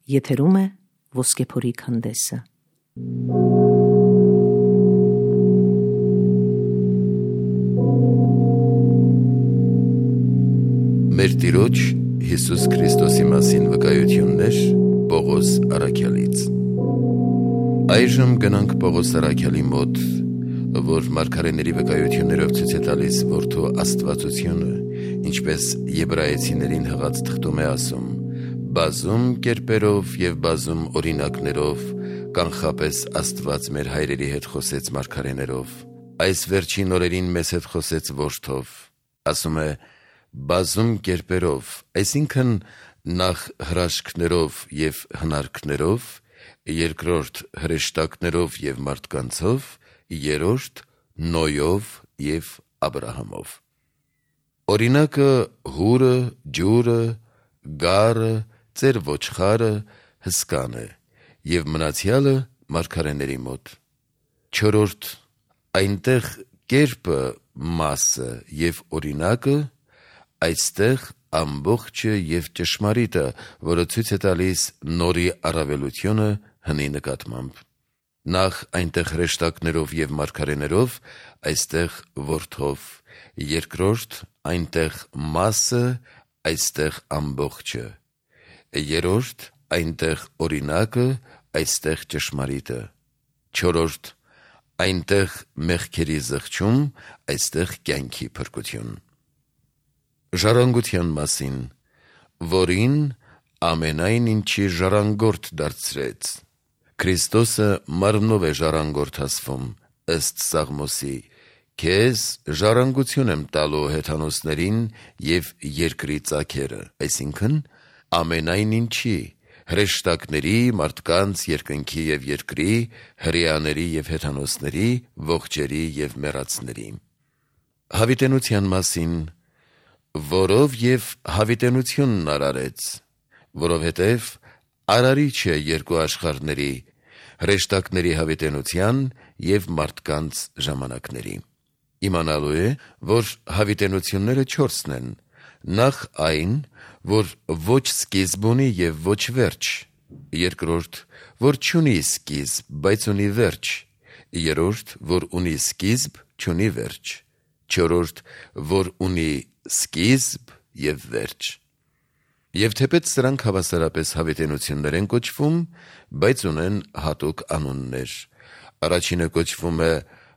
Եթերում է Ոսկեփորի քանդեսը։ Մեր Տիրոջ Հիսուս Քրիստոսի մասին վկայություններ Պողոս առաքյալից։ Այժմ գնանք Պողոս առաքյալի մոտ, որ մարգարեների վկայություններով ցույց է տալիս որդու աստվածությունը, ինչպես եբրայեցիներին հղած թղթում է ասում, բազում կերպերով եւ բազում օրինակներով կանխապես Աստված մեր հայրերի հետ խոսեց մարգարեներով, այս վերջին օրերին մեզ հետ խոսեց որդով, ասում է բազում կերպերով, այսինքն նախ հրաշքներով եւ հնարքներով, երկրորդ հրեշտակներով եւ մարդկանցով, երրորդ Նոյով եւ Աբրահամով։ Օրինակը հուրը, ջուրը, գարը, ծեր ոչխարը, հսկան է եւ մնացյալը մարգարեների մոտ։ Չորրորդ այնտեղ կերպը, մասը եւ օրինակը, այստեղ ամբողջը եւ ճշմարիտը, որը ցույց է տալիս նորի առավելությունը հնի նկատմամբ։ Նախ այնտեղ հրեշտակներով եւ մարգարեներով, այստեղ որդով, երկրորդ այնտեղ մասը, այստեղ ամբողջը, երրորդ այնտեղ օրինակը, այստեղ ճշմարիտը, չորրորդ այնտեղ մեղքերի զղջում, այստեղ կյանքի փրկություն։ Ժառանգության մասին, որին ամենայն ինչի ժառանգորդ դարձրեց։ Քրիստոսը մարմնով է ժառանգորդ ասվում, ըստ Սաղմոսի, քեզ ժառանգություն եմ տալու հեթանոսներին եւ երկրի ծագերը, այսինքն ամենայն ինչի, հրեշտակների, մարդկանց, երկնքի եւ երկրի, հրեաների եւ հեթանոսների, ողջերի եւ մեռածների։ Հավիտենության մասին, որով եւ հավիտենությունն արարեց, որովհետեւ արարիչ է երկու աշխարհների, հրեշտակների հավիտենության եւ մարդկանց ժամանակների։ Իմանալու է, որ հավիտենությունները 4-ն են, նախ այն, որ ոչ սկիզբ ունի եւ ոչ վերջ, երկրորդ, որ չունի սկիզբ, բայց ունի վերջ, երրորդ, որ ունի սկիզբ, չունի վերջ, չորրորդ, որ ունի սկիզբ եւ վերջ։ Եվ թեպետ սրանք հավասարապես հավիտենություններ են կոչվում, բայց ունեն հատուկ անուններ։ Առաջինը կոչվում է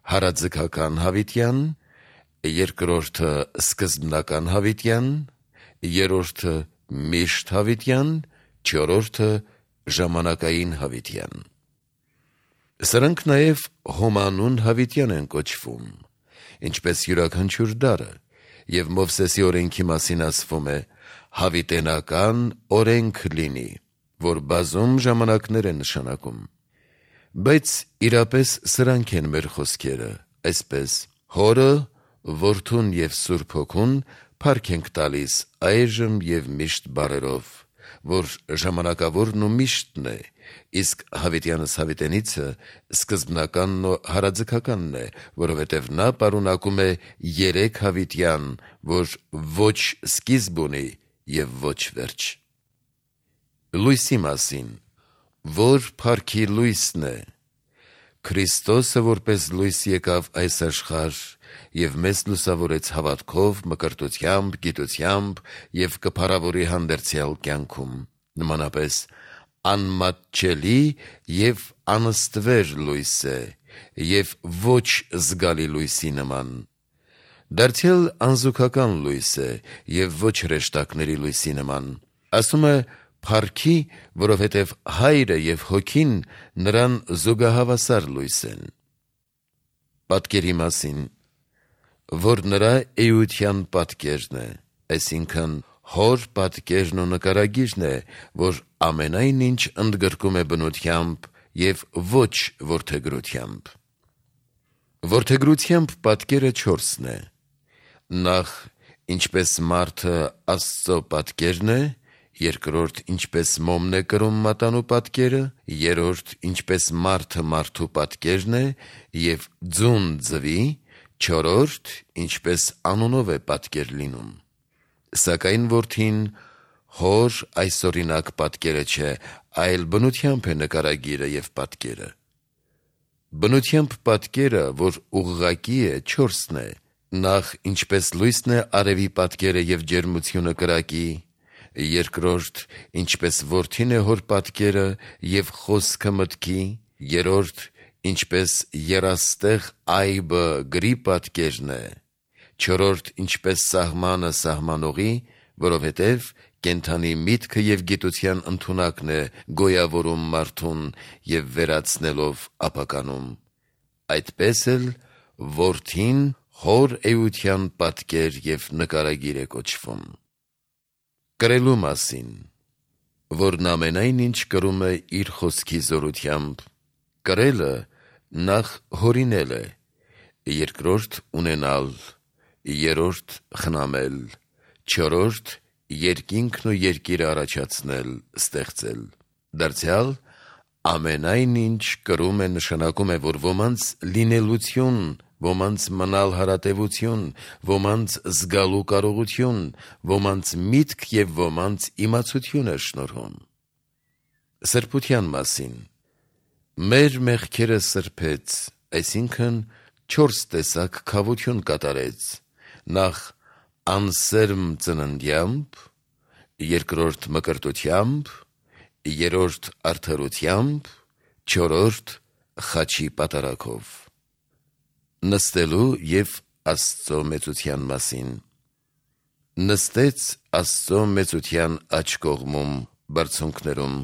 հարաձգական հավիտյան, երկրորդը սկզբնական հավիտյան, երրորդը միշտ հավիտյան, չորրորդը ժամանակային հավիտյան։ Սրանք նաև հոմանուն հավիտյան են կոչվում, ինչպես յուրաքանչյուր դարը, եւ Մովսեսի օրենքի մասին ասվում է հավիտենական օրենք լինի, որ բազում ժամանակներ է նշանակում։ Բայց իրապես սրանք են մեր խոսքերը, այսպես Հորը, Որդուն եւ Սուրբ Հոգուն փառք ենք տալիս այժմ եւ միշտ բարերով, որ ժամանակավորն ու միշտն է, իսկ հավիտյանս հավիտենիցը սկզբնականն ու հարաձգականն է, որովհետև նա պարունակում է 3 հավիտյան, որ ոչ սկիզբ ունի եւ ոչ վերջ։ Լույսի մասին, որ փառքի լույսն է, Քրիստոսը որպես լույս եկավ այս աշխարհ եւ մեզ լուսավորեց հավատքով, մկրտությամբ, գիտությամբ եւ կփառավորի հանդերձյալ կյանքում, նմանապես անմատչելի եւ անստվեր լույս է եւ ոչ զգալի լույսի նման, դարձյալ անզուգական լույս է եւ ոչ հրեշտակների լույսի նման, ասում է փառքի, որովհետև Հայրը եւ Հոգին նրան զուգահավասար լույս են։ Պատկերի մասին, որ նրա էության պատկերն է, այսինքն Հոր պատկերն ու նկարագիրն է, որ ամենայն ինչ ընդգրկում է բնությամբ եւ ոչ որդեգրությամբ։ Որդեգրությամբ պատկերը 4-ն է։ Նախ, ինչպես մարդը Աստծո պատկերն է, երկրորդ, ինչպես մոմն է կրում մատանու պատկերը, երրորդ, ինչպես մարդը մարդու պատկերն է եւ ձուն ձվի, չորրորդ, ինչպես անունով է պատկեր լինում։ Սակայն որդին հոր այսօրինակ պատկերը չէ, այլ բնությամբ է նկարագիրը և պատկերը։ Բնությամբ պատկերը, որ ուղղակի է, 4-ն է. նախ ինչպես լույսն է արևի պատկերը և ջերմությունը կրակի, երկրորդ ինչպես որդին է հոր պատկերը և խոսքը մտքի, երրորդ ինչպես եռաստեղ այբը գրի պատկերն է, չորրորդ ինչպես սահմանը սահմանողի, որովհետև կենդանի միտքը և գիտության ընդունակն է գոյավորում մարդուն և վերացնելով ապականում, այդպես էլ որդին հոր էության պատկեր և նկարագիր է կոչվում։ Կրելու մասին, որն ամենայն ինչ կրում է իր խոսքի զորությամբ, կրելը նախ հորինել է, երկրորդ ունենալ, երրորդ խնամել, չորրորդ երկինքն ու երկիրը առաջացնել, ստեղծել, դարձյալ ամենայն ինչ կրում է նշանակում է, որ ոմանց լինելություն, ոմանց մնալ հարատևություն, ոմանց զգալու կարողություն, ոմանց միտք և ոմանց իմացություն է շնորհում։ Սրբության մասին, մեր մեղքերը սրբեց, այսինքն 4 տեսակ քավություն կատարեց, նախ անսերմ ծննդյամբ, երկրորդ մկրտությամբ, երրորդ արդարությամբ, չորրորդ խաչի պատարագով։ Նստելու և Աստծո մեծության մասին, նստեց Աստծո մեծության աջ կողմում, բարձունքներում։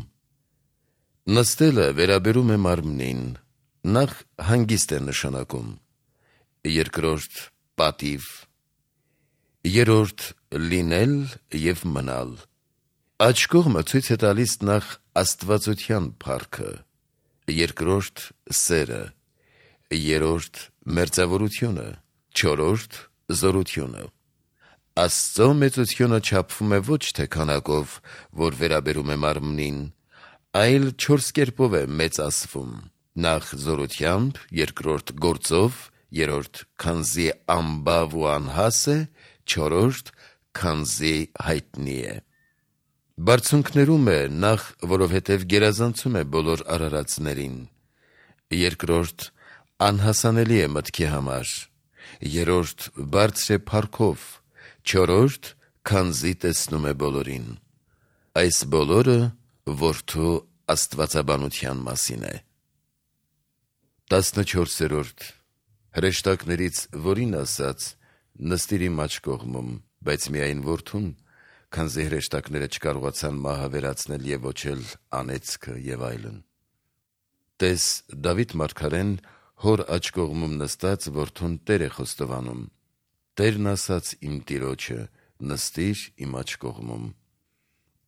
Նստելը վերաբերում է մարմնին, նախ հանգիստ է նշանակում, երկրորդ պատիվ, երրորդ լինել և մնալ։ Աջ կողմը ցույց է տալիս նախ աստվածության փառքը, երկրորդ սերը, երրորդ մերձավորությունը, չորրորդ զորությունը։ Աստծո մեծությունը չափվում է ոչ թե քանակով, որ վերաբերում է մարմնին, այլ 4 կերպով է մեծ ասվում, նախ զորությամբ, երկրորդ գործով, երրորդ քանզի անբավ ու անհաս է, չորրորդ քանզի հայտնի է։ Բարձունքներում է նախ, որովհետև գերազանցում է բոլոր արարածներին, երկրորդ անհասանելի է մտքի համար, երրորդ բարձր է փառքով, չորրորդ քանզի տեսնում է բոլորին։ Այս բոլորը որդու աստվածաբանության մասին է։ 14. Հրեշտակներից որին ասաց. նստիր իմ աջ կողմում, բայց միայն որդուն, քանզի հրեշտակները չկարողացան մահը վերացնել և ոչ էլ անեծքը և այլն։ Տես Դավիթ մարգարեն հոր աջ կողմում նստած որդուն Տեր է խոստովանում. Տերն ասաց իմ տիրոջը. նստիր իմ աջ կողմում։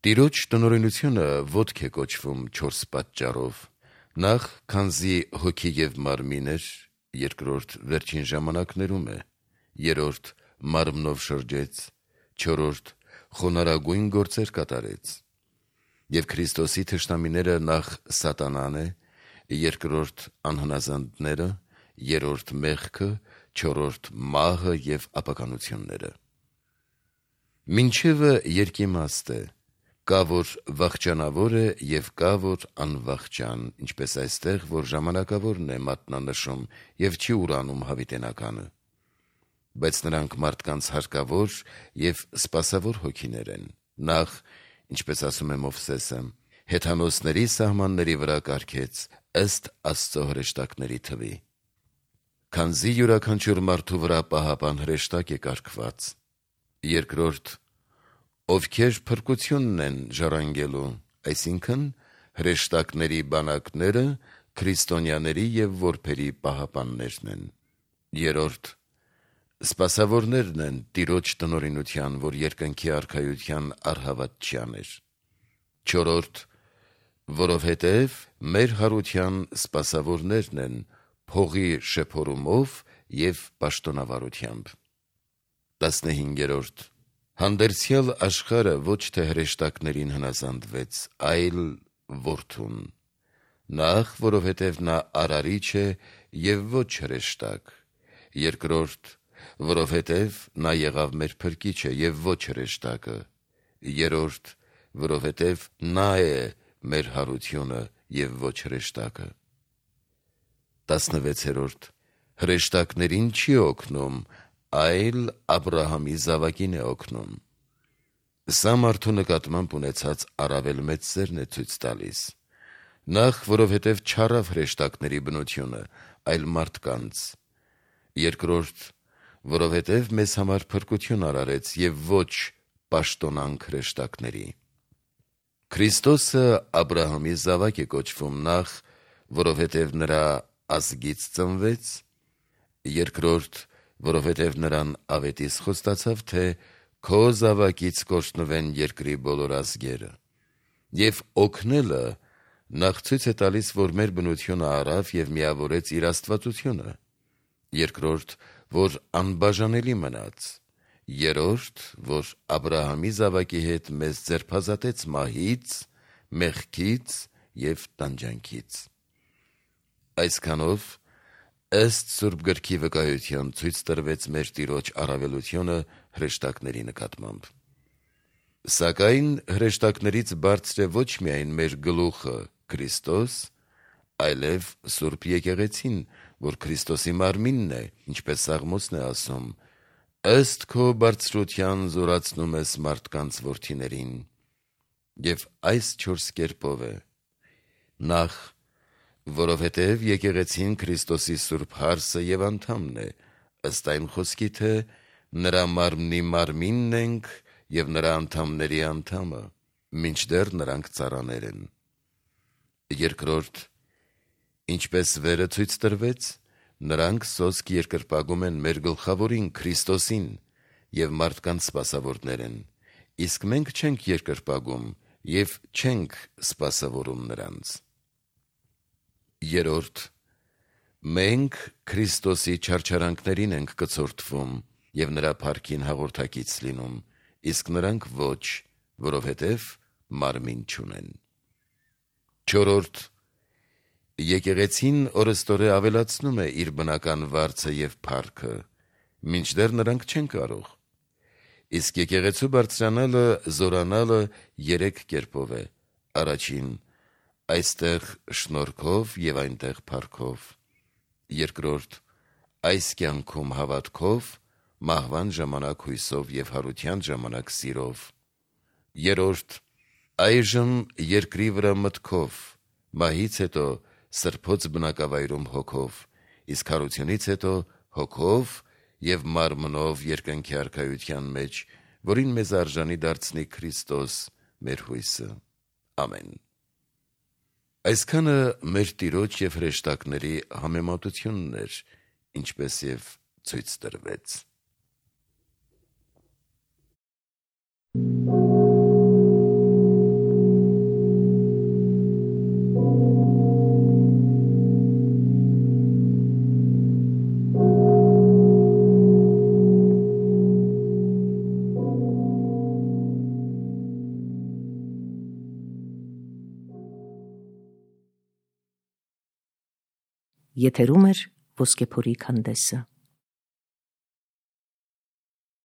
Տիրոջ տնօրինությունը ոտք է կոչվում 4 պատճառով. նախ, քանզի հոգի և մարմին էր, երկրորդ վերջին ժամանակներում է, երրորդ մարմնով շրջեց, չորրորդ խոնարհագույն գործեր կատարեց։ Եվ Քրիստոսի թշնամիները նախ սատանան է, երկրորդ անհնազանդները, երրորդ մեղքը, չորրորդ մահը և ապականությունները։ Մինչևը երկիմաստ է, կա որ վախճանավոր է և կա որ անվախճան, ինչպես այստեղ, որ ժամանակավորն է մատնանշում և չի ուրանում հավիտենականը, բայց նրանք մարդկանց հարկավոր և սպասավոր հոգիներ են, նախ, ինչպես ասում է Մովսեսը, հեթանոսների սահմանների վրա կարգեց ըստ Աստծո հրեշտակների թվի։ Քանզի յուրաքանչյուր մարդու վրա պահապան հրեշտակ է կարգված, երկրորդ, ովքեր փրկությունն են ժառանգելու, այսինքն հրեշտակների բանակները քրիստոնյաների և որբերի պահապաններն են, երրորդ, սպասավորներն են Տիրոջ տնօրինության, որ երկնքի արքայության առհավատչյան էր, չորրորդ, որովհետև մեր հարության սպասավորներն են փողի շեփորումով և պաշտոնավարությամբ։ 15. Հանդերձյալ աշխարհը ոչ թե հրեշտակներին հնազանդվեց, այլ որդուն, նախ, որովհետև նա արարիչ է և ոչ հրեշտակ, երկրորդ, որովհետև նա եղավ մեր փրկիչը և ոչ հրեշտակը, երրորդ, որովհետև նա է մեր հարությունը և ոչ հրեշտակը։ 16. Հրեշտակներին չի օգնում, այլ Աբրահամի զավակին է օգնում։ Սա մարդու նկատմամբ ունեցած առավել մեծ սերն է ցույց տալիս։ Նախ, որովհետև չառավ հրեշտակների բնությունը, այլ մարդկանց։ Երկրորդ, որովհետև մեզ համար փրկություն արարեց և ոչ պաշտոնանք հրեշտակների։ Քրիստոսը Աբրահամի զավակ է կոչվում նախ, որովհետև նրա ազգից ծնվեց, երկրորդ, որովհետև նրան ավետիս խոստացավ, թե քո զավակից կօրհնվեն երկրի բոլոր ազգերը։ Եվ օգնելը նախ ցույց է տալիս, որ մեր բնությունը առավ և միավորեց իր աստվածությունը, երկրորդ, որ անբաժանելի մնաց, երրորդ, որ Աբրահամի զավակի հետ մեզ ձերբազատեց մահից, մեղքից և տանջանքից։ Այսքանով, ըստ Սուրբ Գրքի վկայության ցույց տրվեց մեր Տիրոջ առավելությունը հրեշտակների նկատմամբ։ Սակայն հրեշտակներից բարձր է ոչ միայն մեր գլուխը Քրիստոս, այլև Սուրբ Եկեղեցին, որ Քրիստոսի մարմինն է, ինչպես Սաղմոսն է ասում. «Ըստ քո բարձրության զորացնում ես մարդկանց որդիներին»։ Եվ այս 4 կերպով է. նախ, որովհետև եկեղեցին Քրիստոսի Սուրբ հարսը և անդամն է, ըստ այն խոսքի, թե նրա մարմնի մարմինն ենք և նրա անդամների անդամը, մինչդեռ նրանք ծառաներ են։ Երկրորդ, ինչպես վերը ցույց տրվեց, նրանք սոսկ երկրպագում են մեր գլխավորին Քրիստոսին և մարդկանց սպասավորներ են, իսկ մենք չենք երկրպագում և չենք սպասավորում նրանց։ Երրորդ, մենք Քրիստոսի չարչարանքներին ենք կցորդվում և նրա փառքին հաղորդակից լինում, իսկ նրանք ոչ, որովհետև մարմին չունեն։ Չորրորդ, եկեղեցին օրըստօրե ավելացնում է իր բնական վարձը և փառքը, մինչդեռ նրանք չեն կարող։ Իսկ եկեղեցու բարձրանալը, զորանալը 3 կերպով է. առաջին, այստեղ շնորհքով և այնտեղ փառքով, երկրորդ, այս կյանքում հավատքով, մահվան ժամանակ հույսով և հարության ժամանակ սիրով, երրորդ, այժմ երկրի վրա մտքով, մահից հետո սրբոց բնակավայրում հոգով, իսկ հարությունից հետո հոգով և մարմնով երկնքի արքայության մեջ, որին մեզ արժանի դարձնի Քրիստոս մեր հույսը։ Ամեն։ Այսքանը մեր Տիրոջ և հրեշտակների համեմատությունն էր, ինչպես և ցույց տրվեց։ Եթերում է Ոսկեփորի քանդեսը։